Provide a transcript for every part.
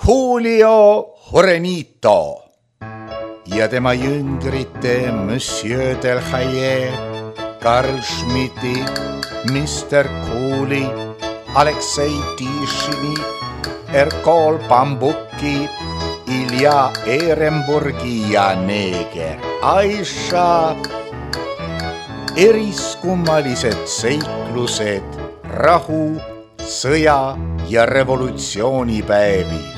Julio Jurenito ja tema jüngrite Monsieur Delhaye, Karl Schmidti, Mr. Cooley, Aleksei Tišini, Erkol Bambuki, Ilja Ehrenburgi ja neeger Aisha. Eriskummalised seiklused rahu, sõja ja revolutsioonipäevil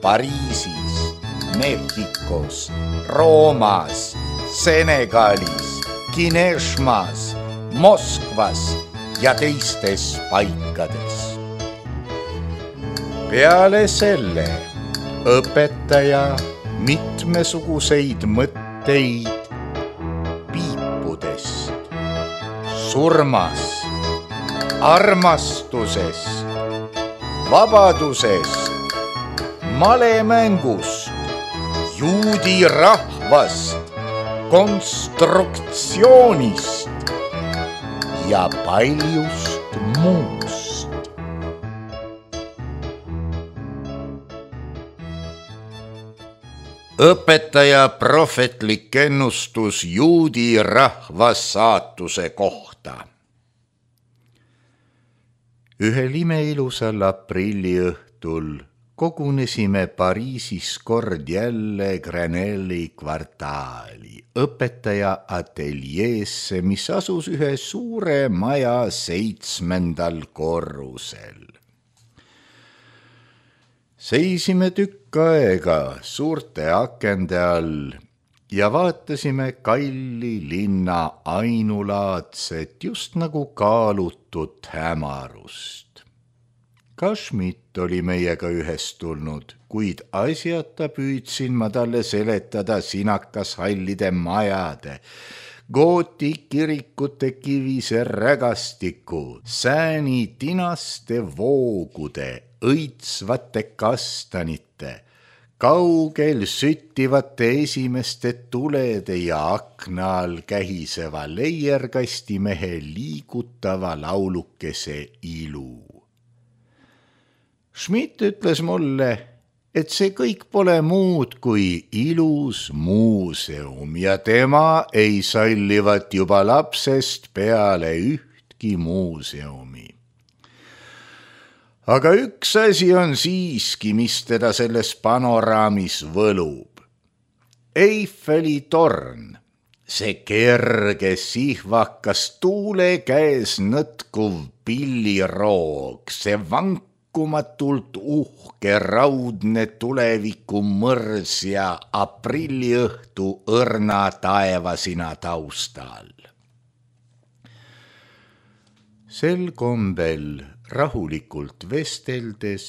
Pariisis, Mehhikos, Roomas, Senegalis, Kineshmas, Moskvas ja teistes paikades. Peale selle õpetaja mitmesuguseid mõtteid piipudest, surmast, armastusest, vabadusest, malemängust, juudi rahvast, konstruktsioonist ja paljust muust. Õpetaja prohvetlik ennustus juudi rahva saatuse kohta. Ühel imeilusal aprilliõhtul kogunesime Pariisis kord jälle Grenelli kvartaali õpetaja ateljeesse, mis asus ühe suure maja 7. korrusel. Seisime tükk aega suurte akende all ja vaatasime kalli linna ainulaadset, just nagu kaalutud hämarust. Ka Schmidt oli meiega ühest tulnud, kuid asjata püüdsin ma talle seletada sinakashallide majade, gooti kirikute kivise rägastiku, sääni tinaste voogude, õitsvate kastanite, kaugel süttivate esimeste tulede ja akna all kähiseva leierkastimehe liigutava laulukese ilu. Schmidt ütles mulle, et see kõik pole muud kui ilus muuseum ja tema ei sallivat juba lapsest peale ühtki muuseumi. Aga üks asi on siiski, mis teda selles panoraamis võlub. Eiffeli torn, see kerge sihvakas tuule käes nõtkuv pilliroog, see vankumatult uhke raudne tuleviku mõrs ja aprilliõhtu õrna taevasina taustal. Sel kombel rahulikult vesteldes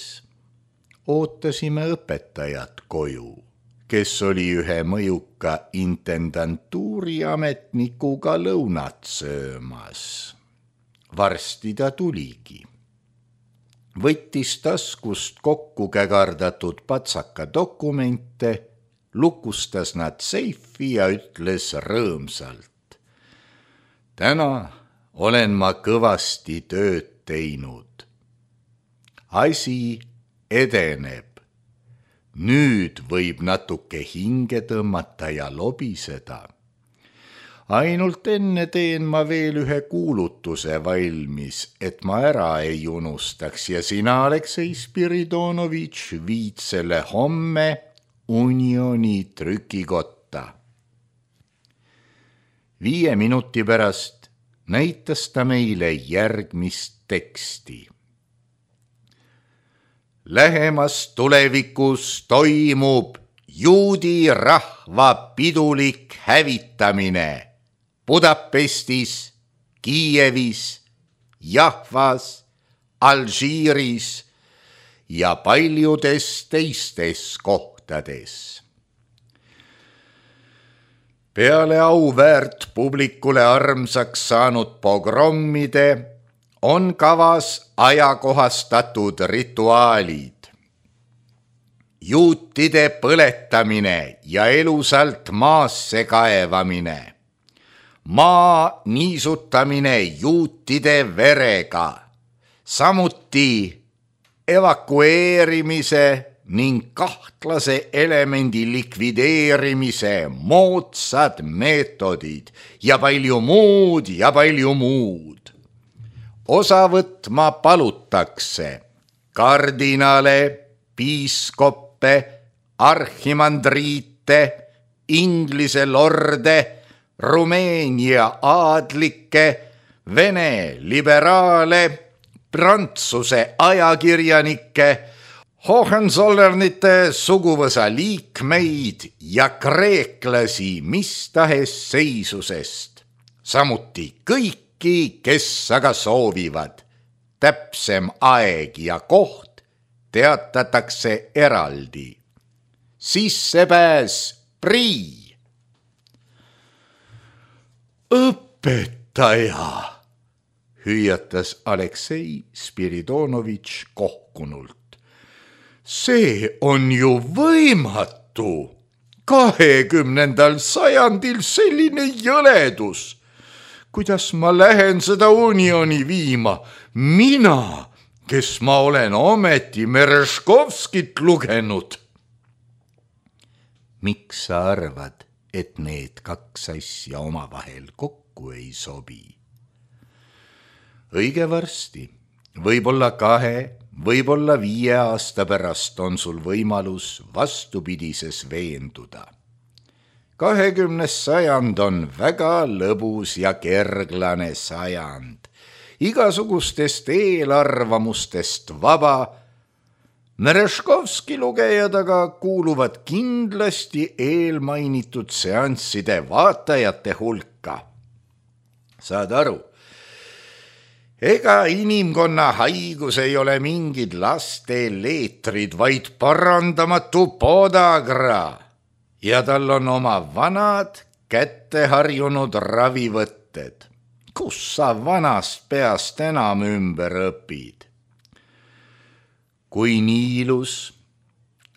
ootasime õpetajat koju, kes oli ühe mõjuka intendantuuri ametnikuga lõunat söömas. Varsti ta tuligi. Võttis taskust kokku kägardatud patsaka dokumente, lukustas nad seifi ja ütles rõõmsalt. Täna olen ma kõvasti tööd teinud. Asi edeneb. Nüüd võib natuke hinge tõmmata ja lobiseda. Ainult enne teen ma veel ühe kuulutuse valmis, et ma ära ei unustaks ja sina, Aleksei Spiridonovitš, viid selle homme Unioni trükikotta. 5 minuti pärast näitas ta meile järgmist teksti. Lähemas tulevikus toimub juudi rahva pidulik hävitamine Budapestis, Kiievis, Jahvas, Alžiiris ja paljudes teistes kohtades. Peale auväärt publikule armsaks saanud pogrommide on kavas ajakohastatud rituaalid. Juutide põletamine ja elusalt maasse kaevamine. Maa niisutamine juutide verega. Samuti evakueerimise ning kahtlase elemendi likvideerimise moodsad meetodid ja palju muud. Osa võtma palutakse kardinale, piiskoppe, arhimandriite, Inglise lorde, Rumeenia aadlikke, Vene liberaale, Prantsuse ajakirjanikke, Hohenzollernite suguvõsa liikmeid ja kreeklasi mis tahes seisusest, samuti kõiki, kes aga soovivad. Täpsem aeg ja koht teatatakse eraldi. Sissepääs prii. Õpetaja, hüüatas Aleksei Spiridonovitš kohkunult. See on ju võimatu. 20. sajandil selline jõledus. Kuidas ma lähen seda unioni viima? Mina, kes ma olen ometi Mereškovskit lugenud. Miks sa arvad, et need kaks asja omavahel kokku ei sobi? Õige varsti, võib-olla 2, võib-olla 5 aasta pärast on sul võimalus vastupidises veenduda. 20. sajand on väga lõbus ja kerglane sajand, igasugustest eelarvamustest vaba. Mereškovski lugejad aga kuuluvad kindlasti eelmainitud seansside vaatajate hulka. Saad aru? Ega inimkonna haigus ei ole mingid laste leetrid, vaid parandamatu podagra ja tal on oma vanad kätte harjunud ravivõtted. Kus sa vanast peast enam ümber õpid? Kui Niilus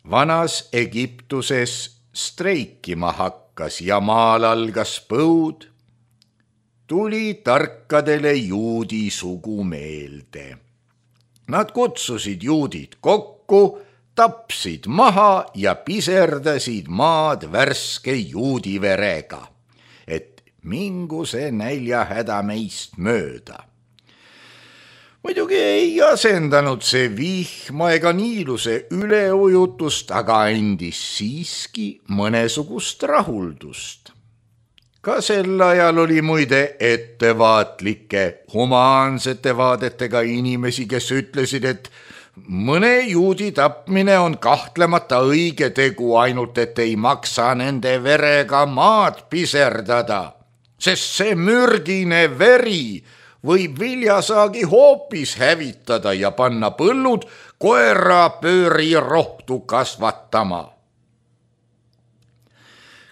vanas Egiptuses streikima hakkas ja maal algas põud, tuli tarkadele juudi sugu meelde. Nad kutsusid juudid kokku, tapsid maha ja piserdasid maad värske juudi verega, et mingu see näljahäda meist mööda. Muidugi ei asendanud see vihma ega Niiluse üleujutust, aga andis siiski mõnesugust rahuldust. Ka sel ajal oli muide ettevaatlike, humaansete vaadetega inimesi, kes ütlesid, et mõne juudi tapmine on kahtlemata õige tegu, ainult et ei maksa nende verega maad piserdada, sest see mürgine veri võib viljasaagi hoopis hävitada ja panna põllud koerapöörirohtu kasvatama.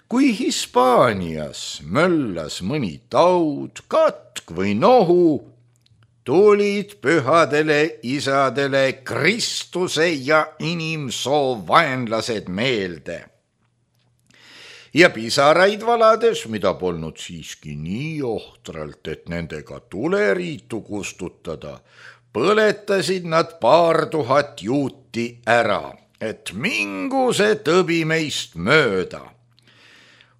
Kui Hispaanias möllas mõni taud, katk või nohu, tulid pühadele isadele Kristuse ja inimsoo vaenlased meelde. Ja pisaraid valades, mida polnud siiski nii ohtralt, et nendega tuleriitu kustutada, põletasid nad 2000 juuti ära, et mingu see tõbi meist mööda.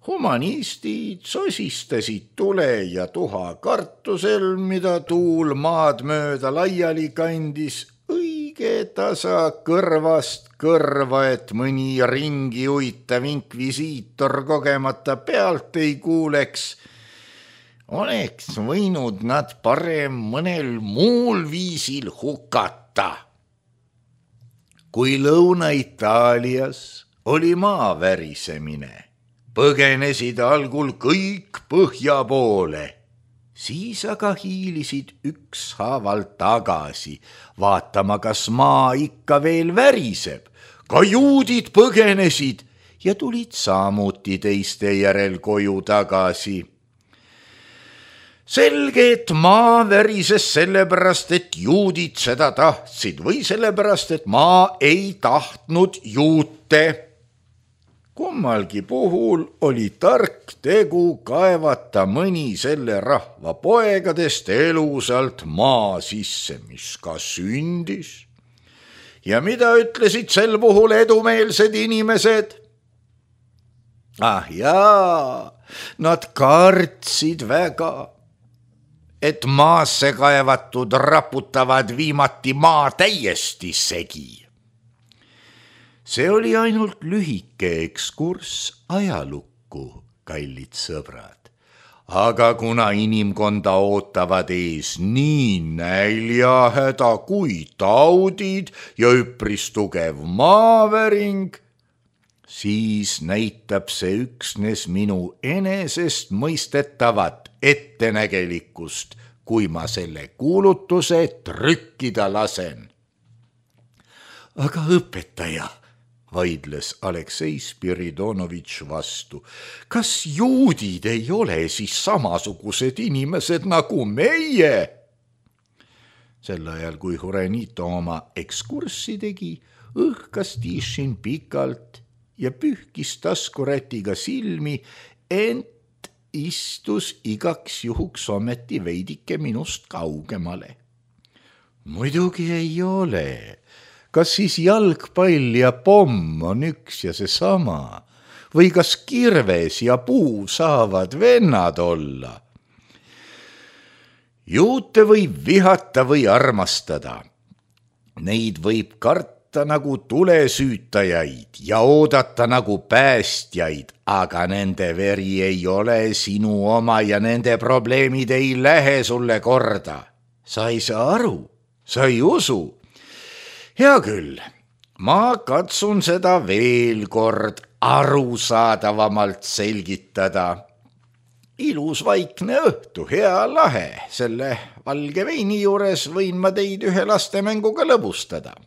Humanistid sosistasid tule ja tuha kartusel, mida tuul maad mööda laiali kandis, õige tasa kõrvast kõrva, et mõni ringi uitav inkvisiitor kogemata pealt ei kuuleks. Oleks võinud nad parem mõnel muul viisil hukata. Kui Lõuna-Itaalias oli maavärisemine, põgenesid algul kõik põhja poole, siis aga hiilisid ükshaaval tagasi, vaatama, kas maa ikka veel väriseb. Ka juudid põgenesid ja tulid samuti teiste järel koju tagasi. Selge, et maa värises sellepärast, et juudid seda tahtsid või sellepärast, et maa ei tahtnud juute. Kummalgi puhul oli tark tegu kaevata mõni selle rahva poegadest elusalt maa sisse, mis ka sündis. Ja mida ütlesid sel puhul edumeelsed inimesed? Ah jaa, nad kartsid väga, et maasse kaevatud raputavad viimati maa täiesti segi. See oli ainult lühike ekskurss ajalukku, kallid sõbrad. Aga kuna inimkonda ootavad ees nii näljahäda kui taudid ja üpris tugev maaväring, siis näitab see üksnes minu enesest mõistetavat ettenägelikkust, kui ma selle kuulutuse trükkida lasen. Aga õpetaja, vaidles Aleksei Spiridonovitš vastu, kas juudid ei ole siis samasugused inimesed nagu meie? Sel ajal, kui Hurenito oma ekskurssi tegi, õhkas Tišin pikalt ja pühkis taskurätiga silmi, ent istus igaks juhuks ometi veidike minust kaugemale. Muidugi ei ole. Kas siis jalgpall ja pomm on üks ja seesama? Või kas kirves ja puu saavad vennad olla? Juute võib vihata või armastada. Neid võib karta nagu tulesüütajaid ja oodata nagu päästjaid, aga nende veri ei ole sinu oma ja nende probleemid ei lähe sulle korda. Sa ei saa aru, sa ei usu. Hea küll, ma katsun seda veel kord arusaadavamalt selgitada. Ilus vaikne õhtu, hea lahe, selle valge veini juures võin ma teid ühe lastemänguga lõbustada.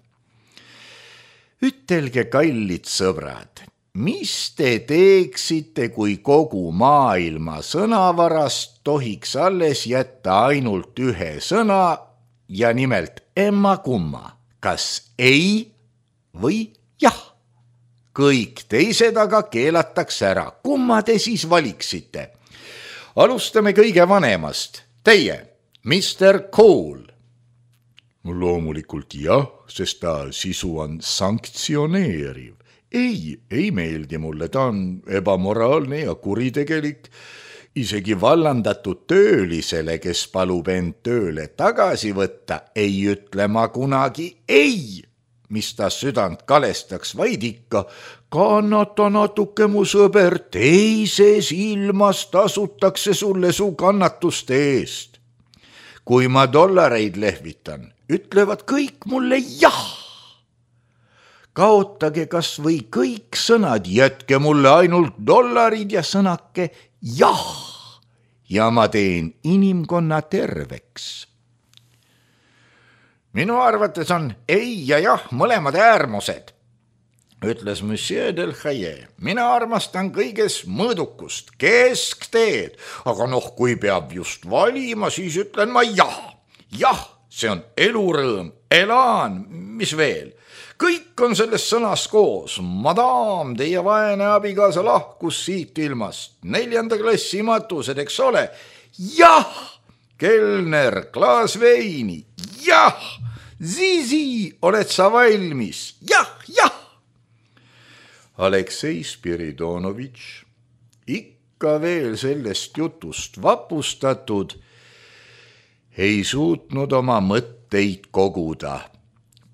Ütelge, kallid sõbrad, mis te teeksite, kui kogu maailma sõnavarast tohiks alles jätta ainult ühe sõna ja nimelt emma-kumma? Kas ei või jah? Kõik teised aga keelatakse ära. Kumma te siis valiksite? Alustame kõige vanemast. Teie, Mr. Cole. Loomulikult jah, sest ta sisu on sanktsioneeriv. Ei meeldi mulle, ta on ebamoraalne ja kuritegelik. Isegi vallandatud töölisele, kes palub end tööle tagasi võtta, ei ütle ma kunagi ei, mis ta südant kalestaks, vaid ikka kannata natuke, mu sõber, teises ilmas tasutakse sulle su kannatuste eest. Kui ma dollareid lehvitan, ütlevad kõik mulle jah. Kaotage kas või kõik sõnad, jätke mulle ainult dollarid ja sõnake jah, ja ma teen inimkonna terveks. Minu arvates on ei ja jah mõlemad äärmused, ütles Monsieur del Haye. Mina armastan kõiges mõõdukust, keskteed, aga kui peab just valima, siis ütlen ma jah. Jah, see on elurõõm, elaan, mis veel? Kõik on selles sõnas koos. Madam, teie vaene abikaasa lahkus siit ilmast. 4. klassi matused, eks ole? Jah! Kelner, klaas veini. Jah! Zizi, oled sa valmis? Jah, jah! Aleksei Spiridonovitš, ikka veel sellest jutust vapustatud, ei suutnud oma mõtteid koguda.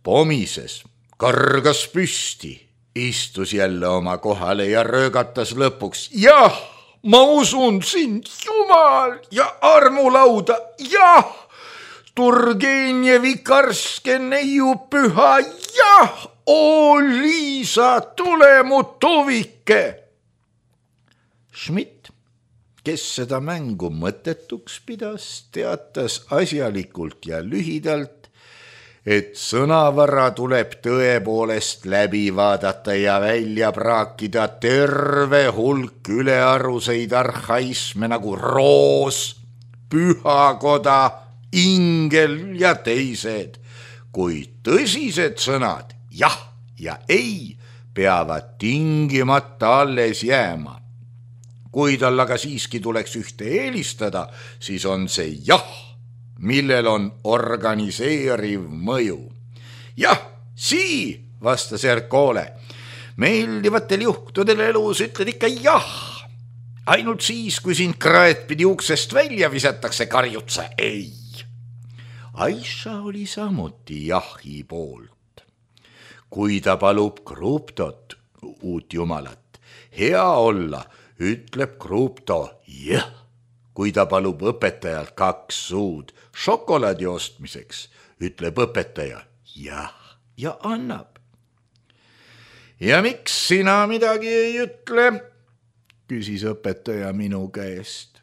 Pomises, kargas püsti, istus jälle oma kohale ja röögatas lõpuks. Jah, ma usun sind, Jumal, ja armulauda, jah, Turgenevi karske neiu püha, jah, oo Liisa, tule mu tuvike. Schmidt, kes seda mängu mõttetuks pidas, teatas asjalikult ja lühidalt, et sõnavara tuleb tõepoolest läbi vaadata ja välja praakida terve hulk ülearuseid arhaisme nagu roos, pühakoda, ingel ja teised, kuid tõsised sõnad jah ja ei peavad tingimata alles jääma. Kui tal aga siiski tuleks ühte eelistada, siis on see jah, millel on organiseeriv mõju. Jah, Sii, vastas Ercole. Meeldivatel juhtudel elus ütled ikka jah. Ainult siis, kui sind kraetpidi uksest välja visatakse, karjutsa ei. Aisha oli samuti jahi poolt. Kui ta palub Kruptot, uut jumalat, hea olla, ütleb Krupto jah. Kui ta palub õpetajalt 2 suud šokolaadi ostmiseks, ütleb õpetaja jah ja annab. Ja miks sina midagi ei ütle? Küsis õpetaja minu käest.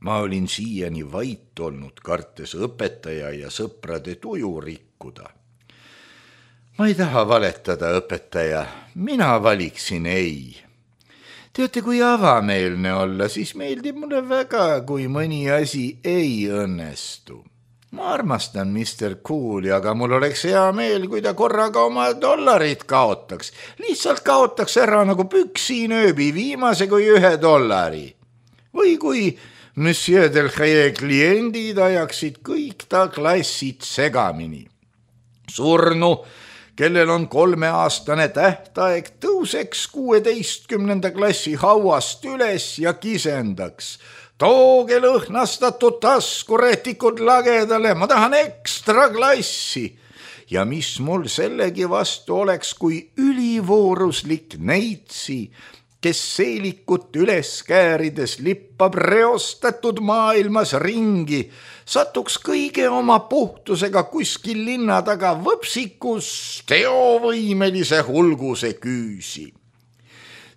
Ma olin siiani vait olnud, kartes õpetaja ja sõprade tuju rikkuda. Ma ei taha valetada, õpetaja, mina valiksin ei. Teate, kui avameelne olla, siis meeldib mulle väga, kui mõni asi ei õnnestu. Ma armastan Mr. Cooli, aga mul oleks hea meel, kui ta korraga oma $1 kaotaks. Lihtsalt kaotaks ära nagu püksiinööbi viimase kui $1. Või kui Monsieur Delhaye kliendid ajaksid kõik ta klassid segamini. Surnu, kellel on 3-aastane tähtaeg, tõuseks 16. klassi hauast üles ja kisendaks. Tooge lõhnastatud taskurätikud lagedale, ma tahan ekstra klassi. Ja mis mul sellegi vastu oleks, kui ülivooruslik neitsi, kes seelikut üles käärides lippab reostatud maailmas ringi, satuks kõige oma puhtusega kuskil linna taga võpsikus teovõimelise hulguse küüsi.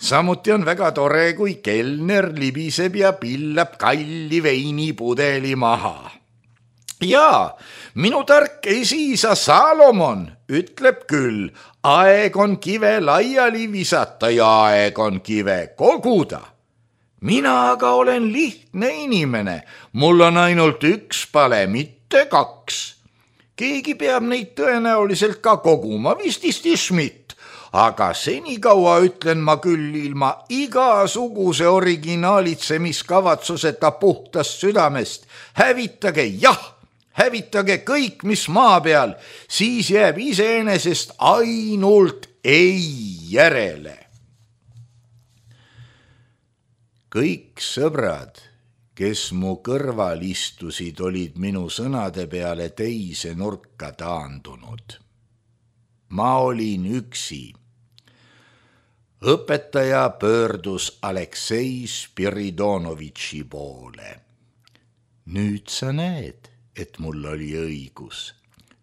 Samuti on väga tore, kui kelner libiseb ja pillab kalli veinipudeli maha. Jaa, minu tark esiisa Salomon ütleb küll, aeg on kive laiali visata ja aeg on kive koguda. Mina aga olen lihtne inimene, mul on ainult 1 pale, mitte 2. Keegi peab neid tõenäoliselt ka koguma, vististi Schmidt. Aga senikaua ütlen ma küll ilma igasuguse originaalitsemiskavatsuseta puhtast südamest. Hävitage jah, hävitage kõik, mis maa peal, siis jääb iseenesest ainult ei järele. Kõik sõbrad, kes mu kõrval istusid, olid minu sõnade peale teise nurka taandunud. Ma olin üksi. Õpetaja pöördus Aleksei Spiridonovitši poole. Nüüd sa näed, et mul oli õigus.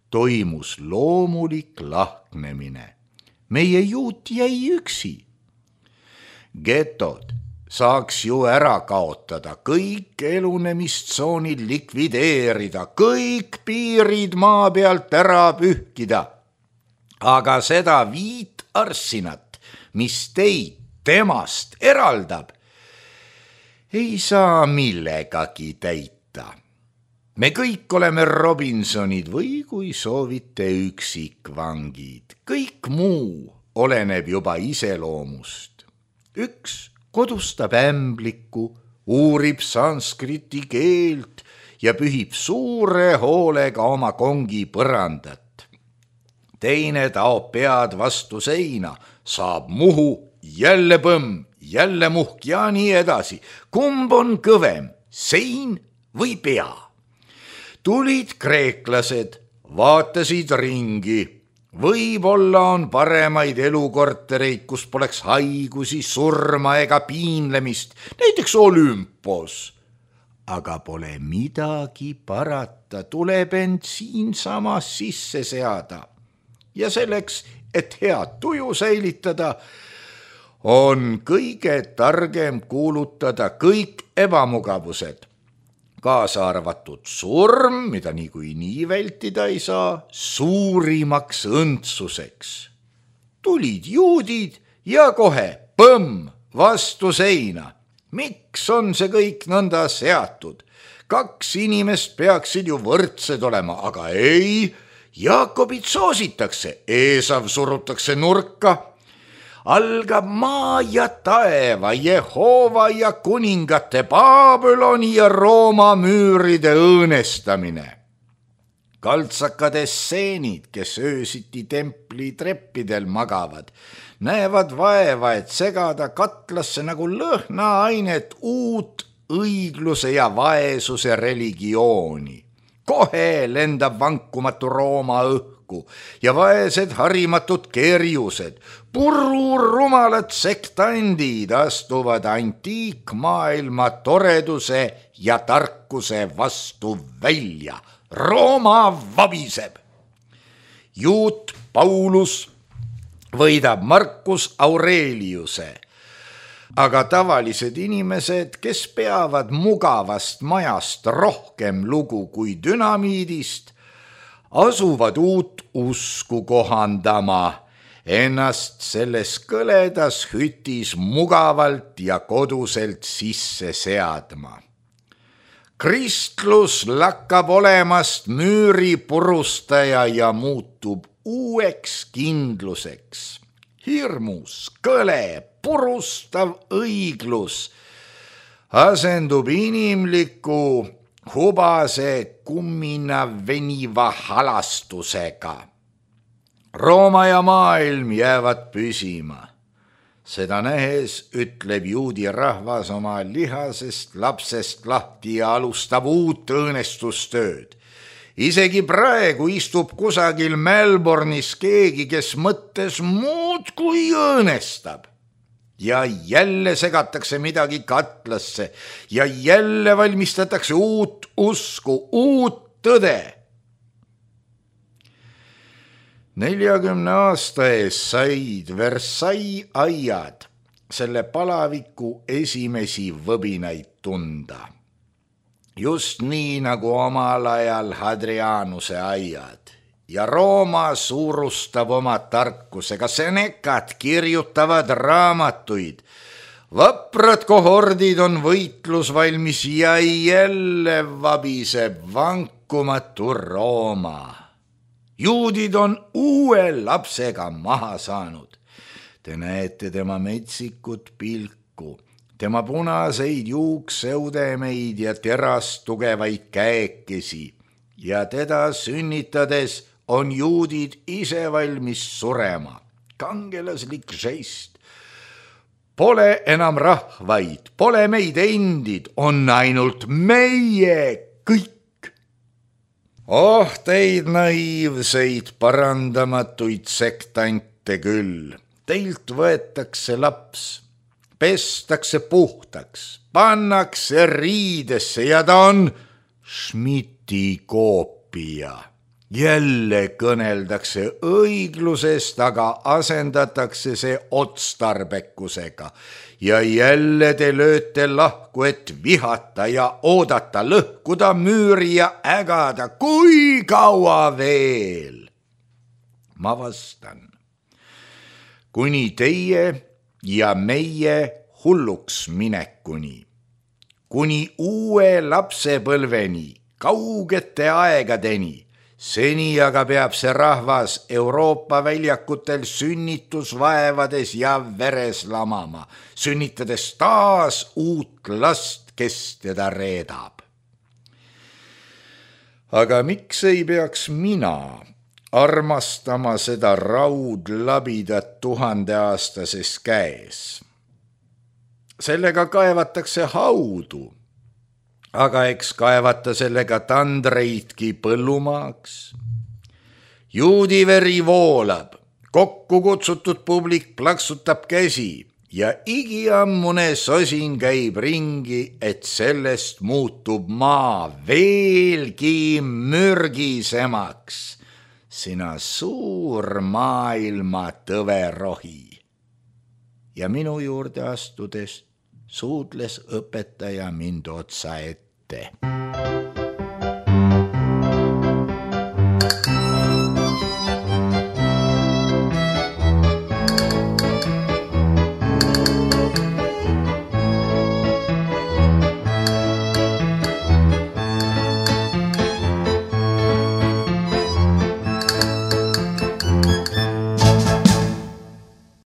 Toimus loomulik lahknemine. Meie juut jäi üksi. Getod saaks ju ära kaotada, kõik elunemistsoonid likvideerida, kõik piirid maa pealt ära pühkida. Aga seda 5 arssinat, mis teid temast eraldab, ei saa millegagi täita. Me kõik oleme Robinsonid või kui soovite üksikvangid. Kõik muu oleneb juba iseloomust. Üks kodustab ämbliku, uurib sanskriti keelt ja pühib suure hoolega oma kongi põrandat. Teine taob pead vastu seina, saab muhu, jälle põmm, jälle muhk ja nii edasi. Kumb on kõvem, sein või pea? Tulid kreeklased, vaatasid ringi. Võib-olla on paremaid elukortereid, kus poleks haigusi, surma ega piinlemist, näiteks Olümpos. Aga pole midagi parata, tuleb end siinsamas sisse seada. Ja selleks, et head tuju säilitada, on kõige targem kuulutada kõik ebamugavused, kaasa arvatud surm, mida niikuinii vältida ei saa, suurimaks õndsuseks. Tulid juudid ja kohe põmm vastu seina. Miks on see kõik nõnda seatud? 2 inimest peaksid ju võrdsed olema, aga ei. Jaakobit soositakse, Eesav surutakse nurka. Algab maa ja taeva, Jehova ja kuningate, Babyloni ja Rooma müüride õõnestamine. Kaltsakad esseenid, kes öösiti templi treppidel magavad, näevad vaeva, et segada katlasse nagu lõhnaainet uut õigluse ja vaesuse religiooni. Kohe lendab vankumatu Rooma õhku ja vaesed harimatud kerjused, rumalad sektandid astuvad antiikmaailma toreduse ja tarkuse vastu välja. Rooma vabiseb. Juut Paulus võidab Marcus Aureliuse, aga tavalised inimesed, kes peavad mugavast majast rohkem lugu kui dünamiidist, asuvad uut usku kohandama, ennast selles kõledas hütis mugavalt ja koduselt sisse seadma. Kristlus lakkab olemast müüri purustaja ja muutub uueks kindluseks. Hirmus, kõle, purustav õiglus asendub inimliku, hubase, kummina veniva halastusega. Rooma ja maailm jäävad püsima. Seda nähes ütleb juudi rahvas oma lihasest lapsest lahti ja alustab uut õõnestustööd. Isegi praegu istub kusagil Melbourne'is keegi, kes mõttes muud kui õõnestab. Ja jälle segatakse midagi katlasse ja jälle valmistatakse uut usku, uut tõde. 40 aasta ees said Versailles aiad selle palaviku esimesi võbinaid tunda. Just nii nagu omal ajal Hadrianuse aiad ja Rooma suurustab oma tarkusega, Senecad kirjutavad raamatuid. Vaprad kohordid on võitlusvalmis ja jälle vabiseb vankumatu Rooma. Juudid on uue lapsega maha saanud. Te näete tema metsikut pilku, tema punaseid juukseudemeid ja terast tugevaid käekesi ja teda sünnitades on juudid ise valmis surema. Kangelaslik žest. Pole enam rahvaid, pole meid endid, on ainult meie kõik. Oh, teid naiivseid parandamatuid sektante küll. Teilt võetakse laps, pestakse puhtaks, pannakse riidesse ja ta on Schmidti koopia. Jälle kõneldakse õiglusest, aga asendatakse see otstarbekusega. Ja jälle te lööte lahku, et vihata ja oodata, lõhkuda müüri ja ägada. Kui kaua veel? Ma vastan. Kuni teie ja meie hulluks minekuni. Kuni uue lapsepõlveni, kaugete aegadeni. Seni aga peab see rahvas Euroopa väljakutel sünnitusvaevades ja veres lamama, sünnitades taas uut last, kes teda reedab. Aga miks ei peaks mina armastama seda raudlabidat 1000-aastases käes? Sellega kaevatakse haudu. Aga eks kaevata sellega tandreidki põllumaaks. Juudiveri voolab, kokku kutsutud publik plaksutab käsi ja igiammune sosin käib ringi, et sellest muutub maa veelgi mürgisemaks. Sina suur maailma tõverohi. Ja minu juurde astudes suudles õpetaja mind otsa ette.